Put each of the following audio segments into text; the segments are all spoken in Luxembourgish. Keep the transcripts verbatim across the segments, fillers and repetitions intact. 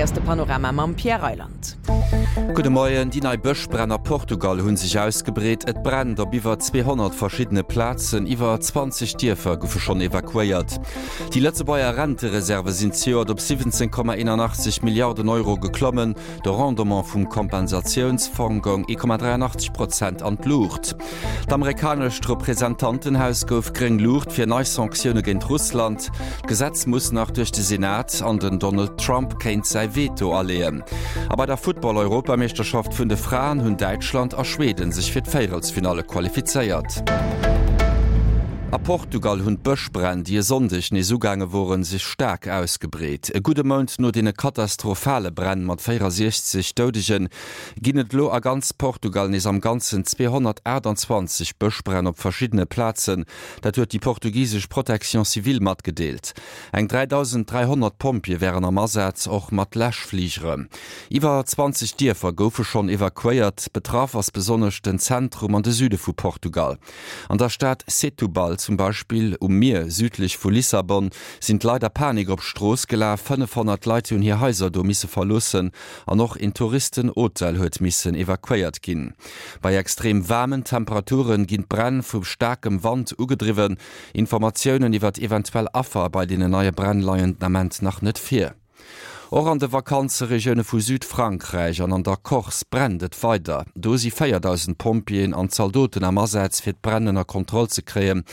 ass de Panorama mam Pierre Reyland. Gudde Moien, Déi nei Bëschbränn a Portugal hu sech ausgebreet. Et brennt op iwwer zweehonnert verschiddene Plazen, iwwer zwanzeg Dierfer goufe schonn evakuéiert. Déi Lëtzebuerger Rentereserve sinn zejoert op siwwenzéng Komma eenanachtzeg Milliarden Euro geklommen. De Rendement vum Kompensatiounsfong goung ee Komma dräianachtzeg Prozent an d'Luucht. D'amerikanescht Representantenhaus gouf gréng Luucht fir nei Sanktioune géint Russland. D'Gesetz muss nach duerch de Senat an den Donald Trump kéint säi Veto aleeën. A bei der Football-Europameeschterschaft vun de Fraen hunn Däitschland a Schweden sech fir d'Véierelsfinalle qualifizéiert. A Portugal hunn d'Bëschbränn, déi e Sonndeg nees ugaange woren, sech staark ausgebreet. E gudde Mount no deene katastrophale Bränn mat véierasiechzeg Doudegen, ginn et elo a ganz Portugal nees am Ganzen zweehonnertaachtanzwanzeg Bëschbränn op verschiddene Plazen. Dat huet déi portugisesch Protection civile matgedeelt. Eng dräidausend dräihonnert Pompjeeë wären am Asaz, och mat Läschfligere. Iwwer zwanzeg Dierfer goufe schonn evakuéiert. Betraff ass besonnesch den Zentrum an de Süde vu Portugal. An der Stad Setúbal zum Beispill, um Mier südlech vu Lissabon, sinn d'Leit a Panik op d'Strooss gelaf. fënnefhonnert Leit hunn hir Haiser do misse verloossen an och een Touristenhotel huet missen evakuéiert ginn. Bei extrem waarmen Temperature ginn d'Bränn vu staarkem Wand ugedriwwen. Informatiounen iwwert eventuell Affer bei deenen neie Bränn leien den Ament nach net vir. Och an de Vakanzeregioune vu Südfrankräich an an der Corse brennt et weider. Do si véierdausend Pompjeeën an Zaldoten am Asaz, fir d'Bränn ënner Kontroll ze kréien.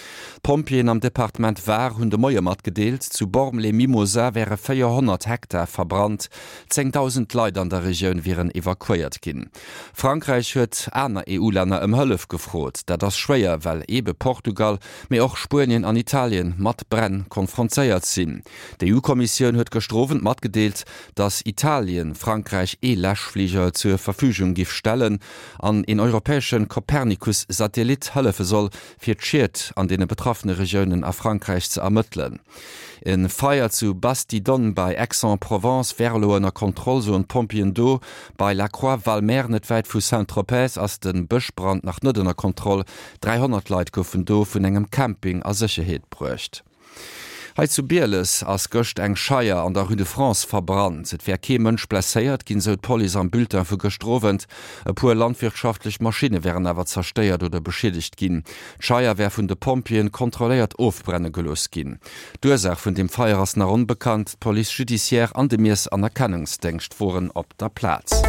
D'Pompjeeën am Departement Var hunn de Moie matgedeelt, zu Bormes-les-Mimosas wäre véierhonnert Hektar verbrannt. Zéngdausend Leit an der Regioun wieren evakuéiert ginn. Frankräich huet aner E U-Länner ëm Hëllef gefrot. Dat ass schwéier, well eebe Portugal, mee och Spuenien an Italien mat Bränn konfrontéiert sinn. D'E U-Kommissioun huet gëschter Owend matgedeelt, datt Italien Frankräich ee Läschfliger zur Verfügung giff stellen an een europäesche Copernicus-Satellit hëllefe soll, fir d'Schied an deene betraffene Regiounen a Frankräich ze ermëttelen. E Feier zu Bastidonne bei Aix-en-Provence wär elo ënner Kontroll, soen d'Pompjeeën do. Bei La Croix-Valmer net wäit vu Saint-Tropez ass de Bëschbrand nach net ënner Kontroll. dräihonnert Leit goufen do vun engem Camping a Sécherheet bruecht. Hei zu Bieles ass gëscht eng Scheier an der Rue de France verbrannt. Et wär kee Mënsch blesséiert ginn, sou d'Police am Bulletin vu gëschter Owend. E puer landwirtschaftlech Maschinne wären awer zerstéiert oder beschiedegt ginn. D'Scheier wär vun de Pompjeeën kontrolléiert ofbrenne gelooss ginn. D'Ursaach vun dem Feier ass nach onbekannt. D'Police judiciaire an de Miess an Erkennungsdéngscht woren op der Plaz.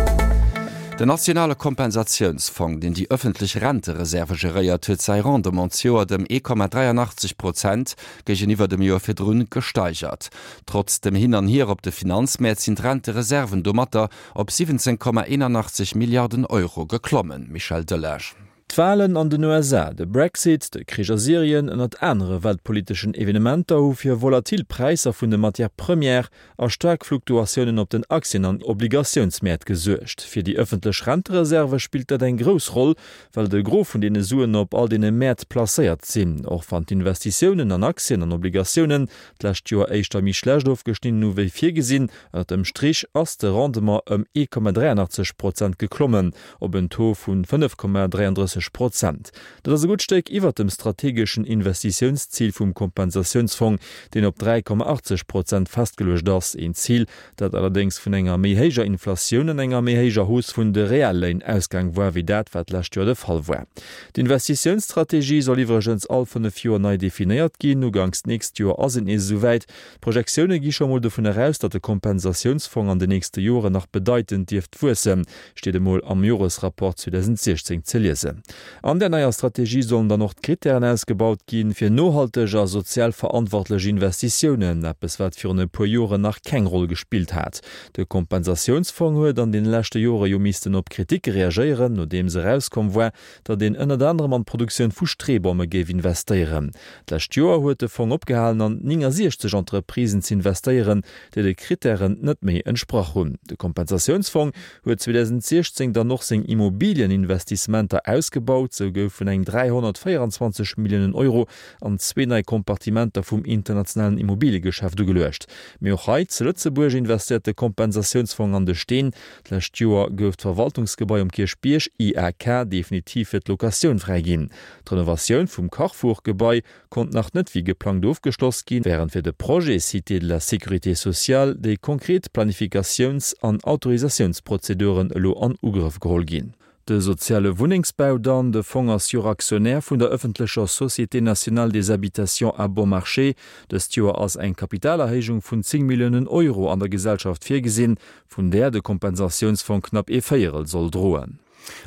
Den nationale Kompensatiounsfong, deen déi ëffentlech Rentereserve geréiert, huet säi Rendement zejoert ëm ee Komma dräianachtzeg Prozent géigeniwwer dem Joer virdrun gesteigert. Trotz dem Hin an Hier op de Finanzmäert sinn d'Rentereserven domatter op siwwenzéng Komma eenanachtzeg Milliarden Euro geklommen. Michel Delage. D'Walen an den U S A, de Brexit, de Krich a Syrien ënnert anere weltpoliteschen Evenementer hu fir volatil Präisser vun de Matières premières a staark Fluktuatiounen op den Aktien an Obligatiounsmäert gesuergt. Fir déi ëffentlech Rentereserve spillt dat eng grouss Roll, well de Gros vun deene Suen op all deene Mäert placéiert sinn. Och wann d'Investitiounen an Aktien an Obligatiounen d'lescht Joer éischter méi schlecht ofgeschnidden hu wéi virgesinn, ënnert dem Strich ass de Rendement ëm ee Komma dräianachtzeg Prozent geklommen op en Taux vu fënnef Komma dräiandrësseg Prozent. Dat ass e gutt Stéck iwwert dem strategeschen Investitiounszil vum Kompensatiounsfong, deen op dräi Komma achtzeg Prozent festgeluecht ass, een Zil, dat allerdéngs vun enger méi héijer Inflatioun an enger méi héijer Hausse vun de Realléin ausgaang war, wéi dat, wat d'lescht Joer de Fall war. D'Investitiounsstrategie soll iwwregens all fënnef Joer nei definéiert ginn. Uganks d'nächst Joer ass et nees esouwäit. D'Projektioune gi scho mol dovun eraus, datt de Kompensatiounsfong an den nächste Joren nach bedeitend dierft wuessen, steet emol am Joresrapport zweedausendsiechzéng ze liesen. An der neier Strategie sollen dann och d'Krittären ausgebaut ginn, fir nohalteg a sozial verantwortlech Investitiounen, eppes wat virun e puer Joren nach keng Roll gespillt hat. De Kompensatiounsfong huet an den leschte Jore jo missten op Kriticke reagéieren, nodeems erauskomm war, datt een ënnert anerem an d'Produktioun vu Streebomme géif investéieren. D'lescht Joer huet de Fong opgehalen an néngasiechzeg Entreprisen z'investéieren, déi de Krittären net méi entsprach hunn. De Kompensatiounsfong huet zweedausentsiechzéng dann och seng Immobilieninvestissementer ausgebaut. ausgebaut, sou goufen eng dräihonnertvéierenzwanzeg Milliounen Euro an zwee nei Kompartimenter vum internationalen Immobiliegeschäft ugeluecht. Mee och hei zu Lëtzebuerg investéiert de Kompensatiounsfong an de Steen. D'lescht Joer gouf d'Verwaltungsgebai um Kierchbierg, I A K, definitiv fir d'Locatioun fräiginn. D'Renovatioun vum Carrefour-Gebai konnt nach net wéi geplangt ofgeschloss ginn, wärend fir de Projet Cité de la Sécurité sociale déi konkret Planifikatiouns an Autorisatiounsprozeduren elo an Ugrëff geholl ginn. De soziale Wunnengsbau dann, De Fong ass jo Aktionär vun der ëffentlecher Société nationale des habitations à bon marché. Dëst Joer ass eng Kapitalerhéijung vun zéng Milliounen Euro an der Gesellschaft virgesinn, vun där de Kompensatiounsfong knapp ee Véierel soll droen.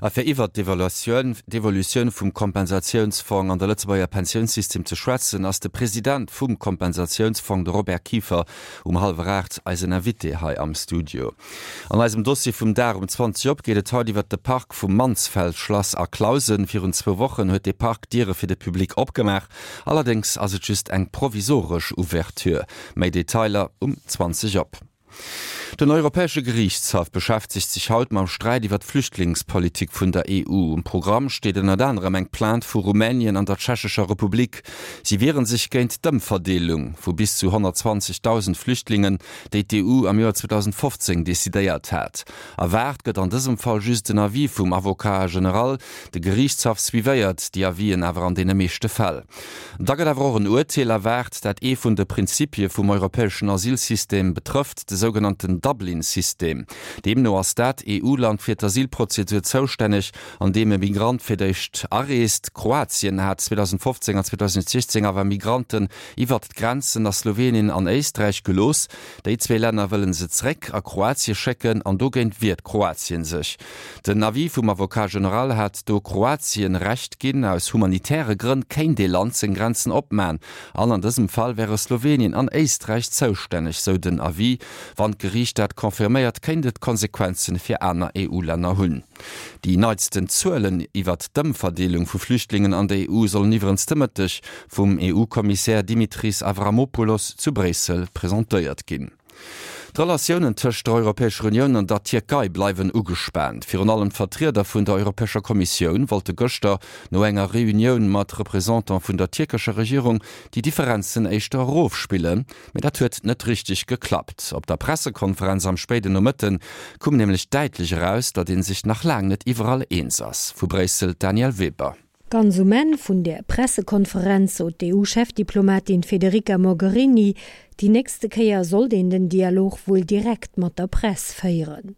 A fir iwwert d'Evaluatioun, d'Evolutioun vum Kompensatiounsfong an de Lëtzebuerger Pensiounssystem ze schwätzen, ass de President vum Kompensatiounsfong, de Robert Kieffer, um hallwer aacht eisen Invité hei am Studio. An eisem Dossier vum Dag um zwanzeg op geet et haut iwwert de Park vum Mansfeld-Schlass a Clausen. Virun zwou Wochen huet dee Park d'Diere fir de Public opgemaach. Allerdéngs ass et just eng provisoresch Ouverture. Méi Detailer um zwanzeg op. Den Europäesche Geriichtshaff beschäftegt sech haut mam Sträit iwwer d'Flüchtlingspolitik vun der E U. Um Programm steet ënnert anerem eng Plainte vu Rumänien an der Tschechescher Republik. Si wieren sech géint d'Ëmverdeelung vu bis zu honnertzwanzegdausend Flüchtlingen, déi d'E U am Joer zweedausendfofzéng decidéiert hat. Erwaart gëtt an dësem Fall just den Avis vum Avocat général. De Geriichtshaff suivéiert déi Avisen awer an deene meeschte Fäll. Da gëtt awer och en Urteel erwaart, dat ee vun de Prinzipie vum europäeschen Asylsystem betrëfft, de sougenannten Dublin-System. Deemno ass dat E U-Land fir d'Asylprozedur zoustänneg, an deem e Migrant fir d'éischt areest. Kroatien hat zweedausendfofzéng an zweedausendsiechzéng awer Migranten iwwert d'Grenzen a Slowenien an Éisträich gelooss. Déi zwee Länner wëlle se zréck a Kroatie schécken an dogéint wiert Kroatien sech. Den Avis vum Avocat général hat do Kroatien Recht ginn, aus humanitäre Grënn kéint ee Land seng Grenzen opman an an dësem Fall wäre Slowenien an Éisträich zoustänneg, sou den Avis. Wann d'Geriicht dat confirméiert, kéint et Konsequenze fir aner E U-Länner hunn. Déi neitsten Zuelen iwwert d'Ëmverdeelung vu Flüchtlingen an der E U sollen iwwerens de Mëtteg vum E U-Kommissär Dimitris Avramopoulos zu Bréissel presentéiert ginn. D'Relatiounen tëscht der Europäescher Unioun an der Tierkei bleiwen ugespaant. Virun allem d'Vertrieder vun der Europäescher Kommissioun wollte gëschter no enger Reunioun mat Représentant vun der tierkescher Regierung déi Differenzen éischter erofspillen, mee dat huet net richteg geklappt. Op der Pressekonferenz am spéiden Nomëtte koum nämlech däitlech eraus, datt ee sech nach laang net iwwerall eens ass. Vu Bréissel d'Danièle Weber. Ganz um Enn vun der Pressekonferenz sot d'E U-Chefdiplomatin Federica Mogherini, déi nächste Kéier sollt een den Dialog wuel direkt mat der Press féieren.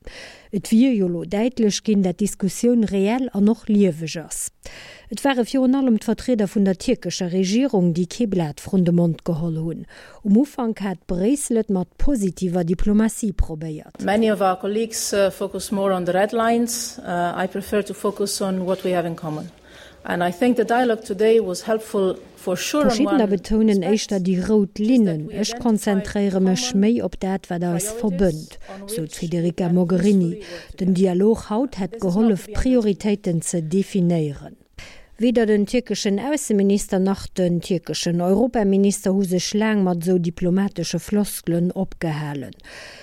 Et wier jo lo däitlech ginn, dat d'Diskussioun reell an och lieweg ass. Et ware virun allem d'Vertrieder vun der tierkescher Regierung, déi kee Blat vrun de Mond geholl hunn. Um Ufank hat Bréissel et mat positiver Diplomatie probéiert. Many of our colleagues focus more on the red lines. I prefer to focus on what we have in common. Verschiddener betounen éischter déi rout Linnen. Ech konzentréiere mech méi op dat, wat eis verbënnt, sou d'Federica Mogherini. Den Dialog haut hätt gehollef, Prioritéiten ze definéieren. Weder den tierkeschen Ausseminister nach den tierkeschen Europaminister hu sech laang mat esou diplomatesche Floskelen opgehalen.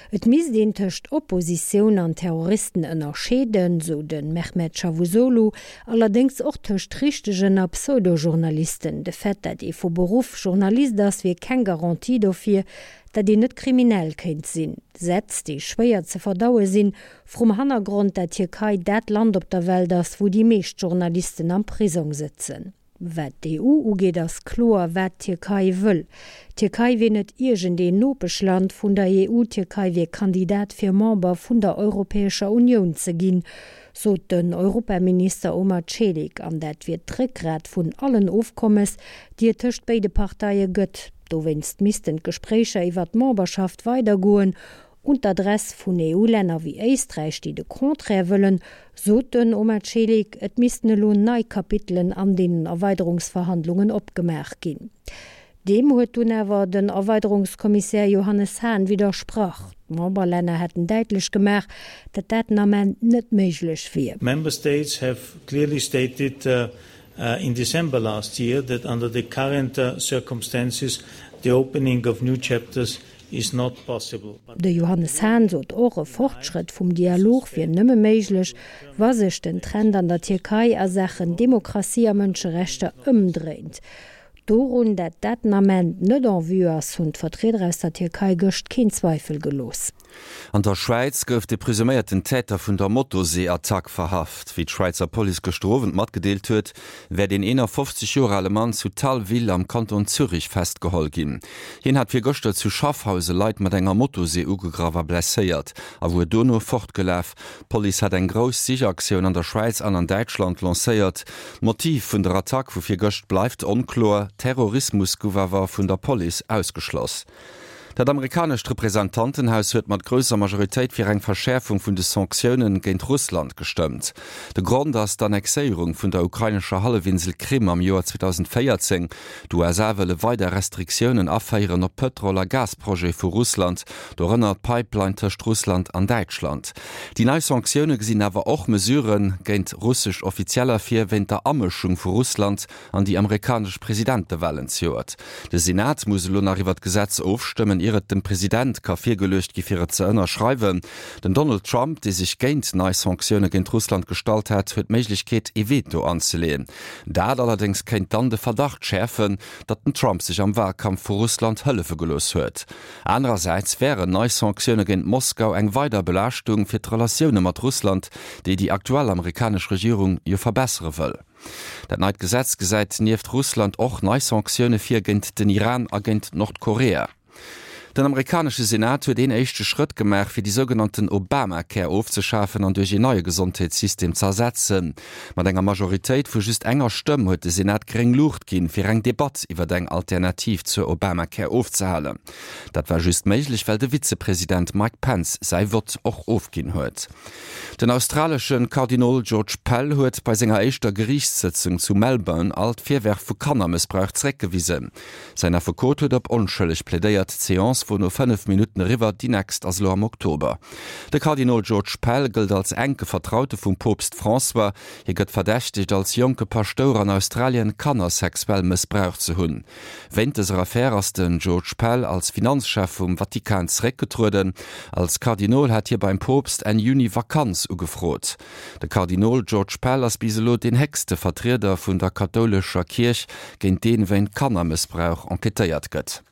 Et misst een tëscht Oppositioun an Terroristen ënnerscheeden, sou de Mehmet Çavusoglu, allerdéngs och tëscht richtegen a Pseudo-Journalisten. De Fait, dat ee vu Beruff Journalist ass, wier keng Garantie dofir, dat een net kriminell kéint sinn. Sätz, déi schwéier ze verdaue sinn, vrum Hannergrond, dat d'Tierkei dat Land op der Welt ass, wou déi meescht Journalisten am Prisong sëtzen. Wat d'E U ugeet, ass kloer, wat d'Tierkei wëll. D'Tierkei wier net iergendeen Nopeschland vun der E U, d'Tierkei wier Kandidat fir Member vun der Europäescher Unioun ze ginn, sot den Europaminister Omer Celik, an dat wier d'Réckgrat vun allen Ofkommes, déi et tëscht béide Parteie gëtt. Dowéinst missten d'Gespréicher iwwer d'Memberschaft weidergoen. Un d'Adress vun E U-Länner wéi Éisträich, déi de Contraire wëllen, sot den Omer Celik, et missten elo nei Kapitelen an deenen Erweiderungsverhandlungen opgemaach ginn. Deem huet dunn awer den Erweiderungskommissär Johannes Hahn widdersprach. D'Memberlänner hätten däitlech gemaach, datt dat den Ament net méiglech wier. Member States have clearly stated in December last year that under the current circumstances the opening of new chapters is not possible. De Johannes Hahn sot och, e Fortschrëtt vum Dialog wier nëmme méiglech, wa sech den Trend an der Tierkei a Saachen Demokratie a Mënscherechter ëmdréint. Dorun, dat dat den Ament net en vue ass, hunn d'Vertrieder aus der Tierkei gëscht keen Zweifel gelooss. An der Schwäiz gouf de presuméierten Täter vun der Motosee-Attack verhaft. Wéi d'Schwäizer Police gëschter Owend matgedeelt huet, wär den eenafofzeg Joer ale Mann zu Thalwil am Kanton Zürich festgeholl ginn. Hien hat virgëschter zu Schaffhause Leit mat enger Motosee ugegraff a blesséiert a wuar dono fortgelaf. D'Police hat eng grouss Sichaktioun an der Schwäiz an an Däitschland lancéiert. D'Motiv vun der Attack vu virgëscht bleift onkloer, Terrorismus gouf awer vun der Police ausgeschloss. Dat amerikanescht Representantenhaus huet mat grousser Majoritéit fir eng Verschäerfung vun de Sanktioune géint Russland gestëmmt. De Grond ass d'Annexéierung vun der ukrainescher Hallefinsel Krim am Joer zweedausendvéierzéng. D'U S A wëlle weider Restriktiounen aféieren op Pëtrol a Gasprojete vu Russland, dorënner d'Pipeline tëscht Russland an Däitschland. Déi nei Sanktioune gesinn awer och Mesurë géint russesch Offizieller vir, wéint der Amëschung vu Russland an déi amerikanesch Presidentewalen zejoert. De Senat muss elo nach iwwer d'Gesetz ofstëmmen, ier et dem President ka virgeluecht gi fir et ze ënnerschreiwen. Den Donald Trump, dee sech géint nei Sanktioune géint Russland gestallt hat, huet d'Méiglechkeet ee Veto anzeleeën. Dat allerdéngs kéint dann de Verdacht schäerfen, datt den Trump sech am Wahlkampf vu Russland hëllefe gelooss huet. Anerersäits wären nei Sanktioune géint Moskau eng weider Belaaschtung fir d'Relatioune mat Russland, déi déi aktuell amerikanesch Regierung jo verbessere wëll. Dat neit Gesetz gesäit nieft Russland och nei Sanktioune vir géint den Iran a géint Nordkorea. Den amerikanesche Senat huet een éischte Schrëtt gemaach, fir déi sougenannten Obamacare ofzeschafen an duerch een neie Gesondheetssystem ze ersetzen. Mat enger Majoritéit vu just enger Stëmm huet de Senat gréng Luucht ginn, fir eng Debatt iwwer eng Alternativ zur Obamacare ofzehalen. Dat war just méiglech, well de Vizepresident Mike Pence säi Vott och ofginn huet. Den australesche Kardinol George Pell huet bei senger éischter Geriichtssëtzung zu Melbourne all d'Virwërf vu Kannermëssbrauch zeréckgewisen. Säin Affekot huet op onschëlleg plädéiert. D'Seance wor no fënnef Minutten eriwwer, déi nächst ass elo am Oktober. De Kardinol George Pell gëllt als enke Vertraute vum Poopst François. Hie gëtt verdächtegt, als jonke Paschtouer an Australien Kanner sexuell mëssbraucht ze hunn. Wéint dëser Affär ass den George Pell als Finanzchef vum Vatikan zeréckgetrueden. Als Kardinol hat hie beim Poopst Enn Juni Vakanz ugefrot. De Kardinol George Pell ass bis elo deen héchste Vertrieder vun der kathoulescher Kierch, géint dee wéint Kannermëssbrauch enquêtéiert gëtt.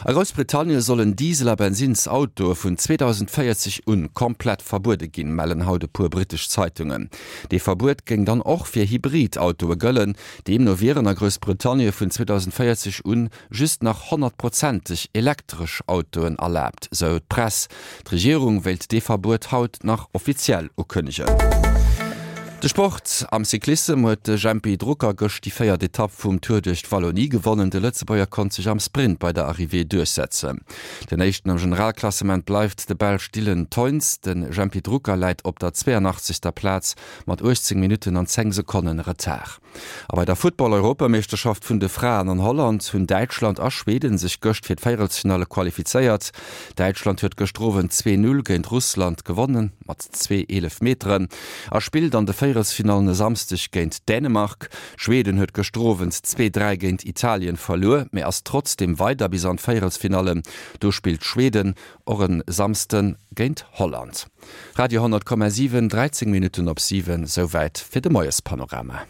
A Groussbritannien sollen Diesel a Bensinnsautoe vun zweedausendvéierzeg un komplett verbuede ginn, mellen haut e puer brittesch Zeitungen. Dee Verbuet géing dann och fir Hybrid-Autoe gëllen. Deemno wieren a Groussbritannien vun zweedausendvéierzeg un just nach honnertprozenteg elektresch Autoen erlaabt, sou d'Press. D'Regierung wéilt dee Verbuet haut nach offiziell ukënnegen. De Sport, Am Cyclissem huet de Jempy Drucker gëscht déi véiert Etapp vum Tour duerch d'Wallonie gewonnen. De Lëtzebuerger konnt sech am Sprint bei der Arrivée duerchsetzen. Den éischten am Generalklassement bleift de Belsch Dylan Teuns. De Jempy Drucker läit op der zweeënachtzegster Plaz mat uechtzéng Minutten an zéng Sekonnen Retard. A bei der Futtball-Europameeschterschaft vun de Fraen an Holland hunn Däitschland a Schweden sech gëscht fir d'Véierelsfinalle qualifizéiert. Däitschland huet gëschter Owend zwee Null géint Russland gewonnen, mat zwee Eelefmeteren, a spillt an de Véierelsfinallen e Samsdeg géint Dänemark. Schweden huet gëschter Owend zwee Dräi géint Italien verluer, mee ass trotzdeem weider bis an d'Véierelsfinallen. Do spillt Schweden och e Samsde géint Holland. Radio honnert Komma siwen, dräizéng Minutten op siwen, souwäit fir de Moiespanorama.